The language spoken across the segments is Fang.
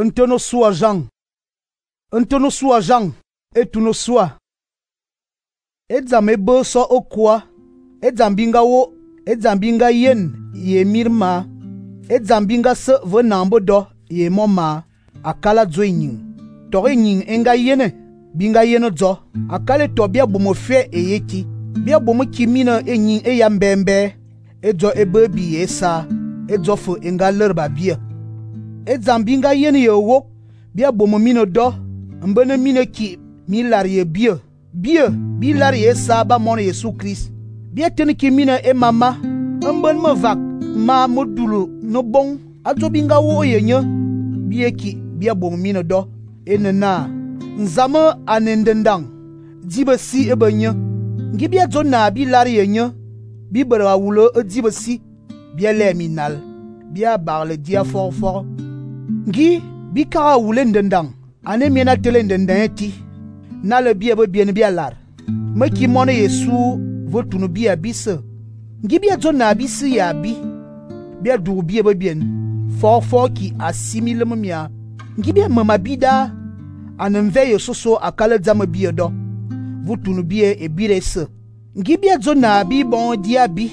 Ntono sua Jean. Ntono sua Jean. Etuno sua. Edzam ebe so okwa. Edzam binga wo. Edzam binga yen ye mirma. Edzam binga se ve nambo do ye moma. Akala dzo nyin. Tori nyin enga yene. Binga yene dzo. Akale to bia bomo fe e yeki. Bia bomo kimina e nyin e ya mbembe. Edzo ebe bi esa. Edzo fu enga lerba bia. Edzam binga yene ye wok. Bia bomo mino do. Mbene mine ki mi lar ye bia. Bia bi lar ye sa ba mon Yesu Christ. Bia tene ki mine e mama. Mben me vak ma modulu no bon. Adzo binga wo ye nye. Bia ki bia bomo mino do. Enena. Nzame anendendang. Dibe si ebe nye. Ngi bia dzo na bi lar ye nye. Bi bera wulo e dibe si. Bia le minal. Bia bar le dia for for. Ngi bi kara wule ndendang. Ane miena tele ndendang eti. Na le bia be bien bia lar. Me ki mone Yesu votunu bia bise. Ngi bia dzo na bi si ya bi. Bia du bia be bien. For for ki asimile mia. Ngi bia mama bida. Anemve yo soso akale dzame bia do. Votunu bia e bire se. Ngi bia dzo na bi bon dia bi.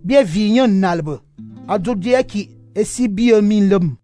Bia vinyo nalbe. Adzo dia ki esi bia min lem.